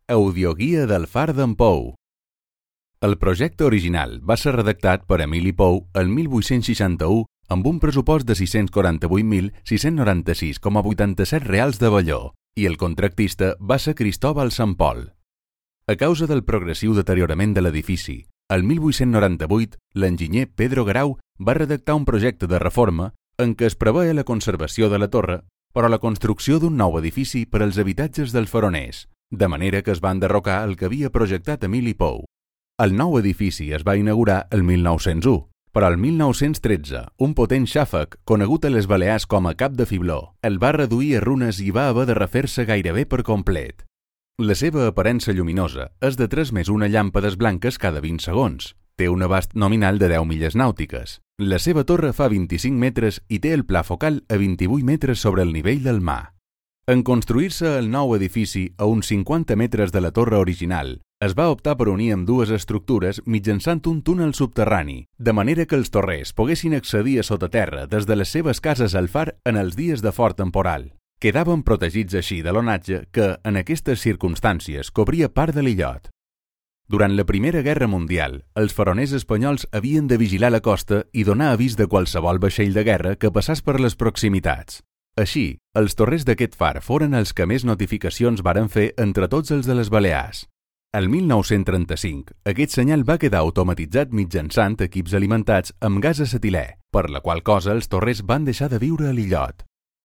Audioguia del Far d'en Pou. El projecte original va ser redactat per Emili Pou el 1861 amb un pressupost de 648.696,87 reals de Balló i el contractista va ser Cristóbal Sant Pol. A causa del progressiu deteriorament de l'edifici, el 1898 l'enginyer Pedro Grau va redactar un projecte de reforma en què es preveia la conservació de la torre, però la construcció d'un nou edifici per als habitatges dels faroners, de manera que es va enderrocar el que havia projectat Emili Pou. El nou edifici es va inaugurar el 1901, però el 1913 un potent xàfec, conegut a les Balears com a Cap de Fibló, el va reduir a runes i va haver de refer-se gairebé per complet. La seva aparença lluminosa és de 3 més 1 llàmpades blanques cada 20 segons. Té un abast nominal de 10 milles nàutiques. La seva torre fa 25 metres i té el pla focal a 28 metres sobre el nivell del mar. En construir-se el nou edifici a uns 50 metres de la torre original, es va optar per unir ambdues estructures mitjançant un túnel subterrani, de manera que els torrers poguessin accedir a sota terra des de les seves cases al far en els dies de fort temporal. Quedaven protegits així de l'onatge que, en aquestes circumstàncies, cobria part de l'illot. Durant la Primera Guerra Mundial, els faroners espanyols havien de vigilar la costa i donar avís de qualsevol vaixell de guerra que passés per les proximitats. Així, els torrers d'aquest far foren els que més notificacions varen fer entre tots els de les Balears. El 1935, aquest senyal va quedar automatitzat mitjançant equips alimentats amb gas acetilè, per la qual cosa els torrers van deixar de viure a l'illot.